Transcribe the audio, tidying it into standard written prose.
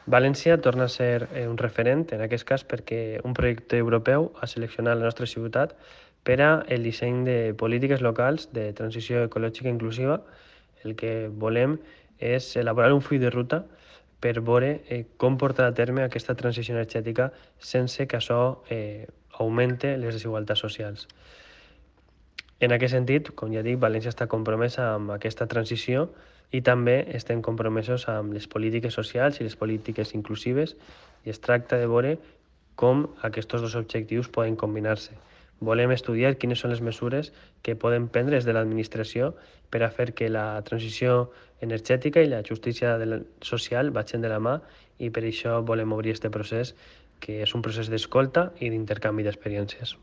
València torna a ser un referent, en aquest cas, perquè un projecte europeu ha seleccionat la nostra ciutat per a el disseny de polítiques locals de transició ecològica inclusiva. El que volem és elaborar un full de ruta per veure com portar a terme aquesta transició energètica sense que això augmente les desigualtats socials. En aquest sentit, com ja dic, València està compromesa amb aquesta transició i també estem compromesos amb les polítiques socials i les polítiques inclusives i es tracta de veure com aquests dos objectius poden combinar-se. Volem estudiar quines són les mesures que poden prendre des de l'administració per a fer que la transició energètica i la justícia social vagin de la mà i per això volem obrir aquest procés que és un procés d'escolta i d'intercanvi d'experiències.